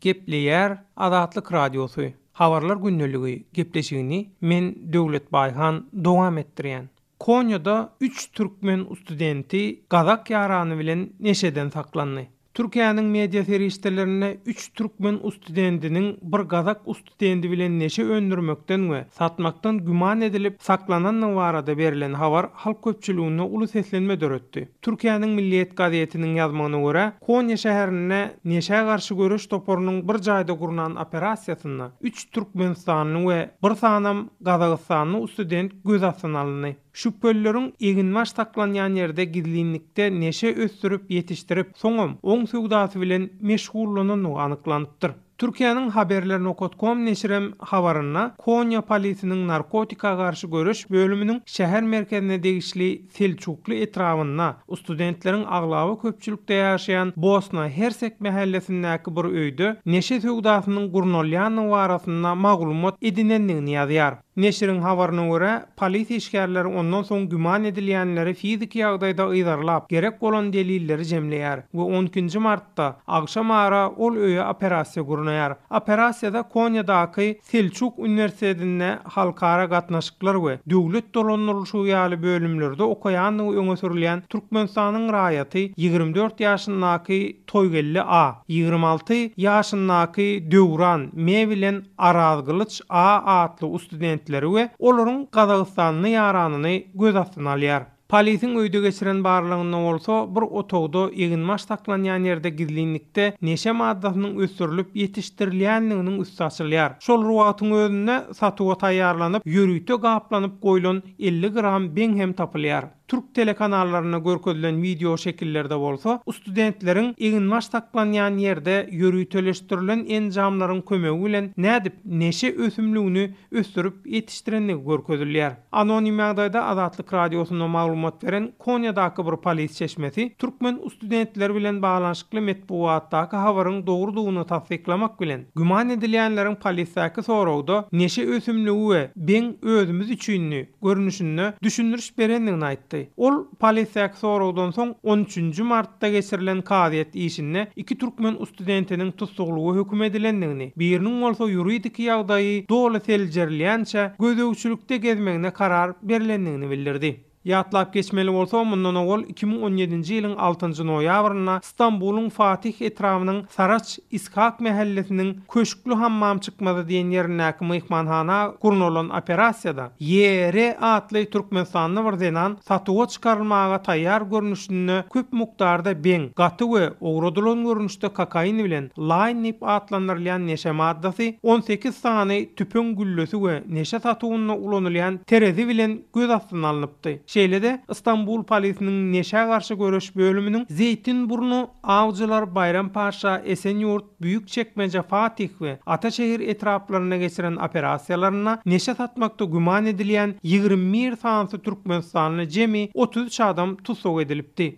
Gepleýär Azatlyk Radiosy, Habarlar gündeligi gepleşigini men Döwlet Baýhan dowam etdirýän. Konýada üç türkmen ustudenti gazak ýarany bilen neşeden saklandy. Türkiýäniň media serişdelerinde üç türkmen ustudentiniň bir gazak ustudendi bilen neşe öndürmekden we satmakdan güman edilip saklanandygy barada berlen habar halk köpçüliginde uly seslenme döretdi. Türkiýäniň Milliýet gazetiniň ýazmagyna görä, Konýa şäherinde neşä garşy göreş toparynyň bir jaýda gurnan operasiýasynda üç türkmenistanly we bir sanam gazagystanly student göz astyna alyndy. Şübhelileriň eginbaş saklanýan ýerde gizlinlikde neşe ösdürip ýetişdirip, soňam oň söwdasy bilen meşgullanandygy anyklanypdyr. Türkiýäniň Haberler nokat kom neşirem habarynda Konýa polisiniň narkotika garşy göreş bölüminiň şäher merkezine degişli Selçukly etrabynda studentleriň aglaba köpçülikde ýaşaýan Bosna Hersek mähellesindäki bir öýde neşe söwdasynyň gurnalýandygy barasynda maglumat edinendigini ýazýar. Neşiriň habaryna görä, polis işgärleri ondan soň güman edilýänleri fiziki ýagdaýda yzarlap, gerek bolan delilleri jemleýär we on ikinji martda agşam ara ol öýe operasiýa gurnaýar. Operasiýada Konýadaky Selçuk uniwersitetinde halkara gatnaşyklar we döwlet dolandyrylyşygy ýaly bölümlerde okaýandygy öňe sürülýän Türkmenistanyň raýaty 24 ýaşyndaky Toýgeldi A. 26 ýaşyndaky Döwran M. bilen Arazgylyç A. atly ustudentleri we olaryň gazagystanly ýaranyny göz astyna alýar. Polisiň öýde geçiren barlagynda bolsa, bir otagda eginbaş saklanýan ýerde gizlinlikde neşe maddasynyň ösdürilip ýetişdirilýändiginiň üsti açylýar. Şol bir wagtyň özünde satuwa taýýarlanyp, ýörite gaplanyp goýlan 50 gram beň hem tapylýar. Türk telekanallarynda görkezilen wideo şekillerde bolsa, studentleriň eginbaş saklanýan ýerde ýöriteleşdirilen enjamlaryň kömegi bilen nädip neşe ösümligini ösdürip ýetişdirendigi görkezilýär. Anonim ýagdaýda Azatlyk Radiosyna maglumat beren Konýadaky bir polis çeşmesi türkmen studentleri bilen baglanyşykly metbugatdaky habaryň dogrudygyny tassyklamak bilen, güman edilýänleriň polisdäki soragda neşe ösümligi we beň özümiz üçindi görnüşinde düşündiriş berendigini aýtdy. Ol polisdäki soragdan soň on üçünji martda geçirilen kazyýet işinde iki türkmen studentiniň tussaglyga höküm edilendigini, biriniň bolsa ýuridiki ýagdaýy doly seljerilýänçä gözegçilikde gezmegine karar berlendigini bildirdi. Ýatlap geçmeli bolsa, mundan owal 2017-nji ýylyň altynjy noýabrynda Stambulyň Fatih etrabynyň Saraç Ishak mähellesiniň Köşkli hammam çykmazy diýen ýerindäki myhmanhana gurnalan operasiýada YR atly türkmenistanly bir zenan satuwa çykarylmaga taýýar görnüşinde köp mukdarda beň, gaty we owradylan görnüşde kokain bilen laýn diýip atlandyrylýan neşe maddasy, 18 sany tüpeň güllesi we neşe satuwynda ulanylýan terezi bilen göz astyna alnypdy. Şeýle-de, Stambul polisiniň neşä garşy göreş bölüminiň Zeýtinburnu, Awjylar, Baýrampaşa, Esenýurt, Büýükçekmeje, Fatih we Ataşehir etraplarynda geçiren operasiýalarynda neşe satmakda güman edilýän 21 sanysy türkmenistanly jemi 33 adam tussag edilipdi.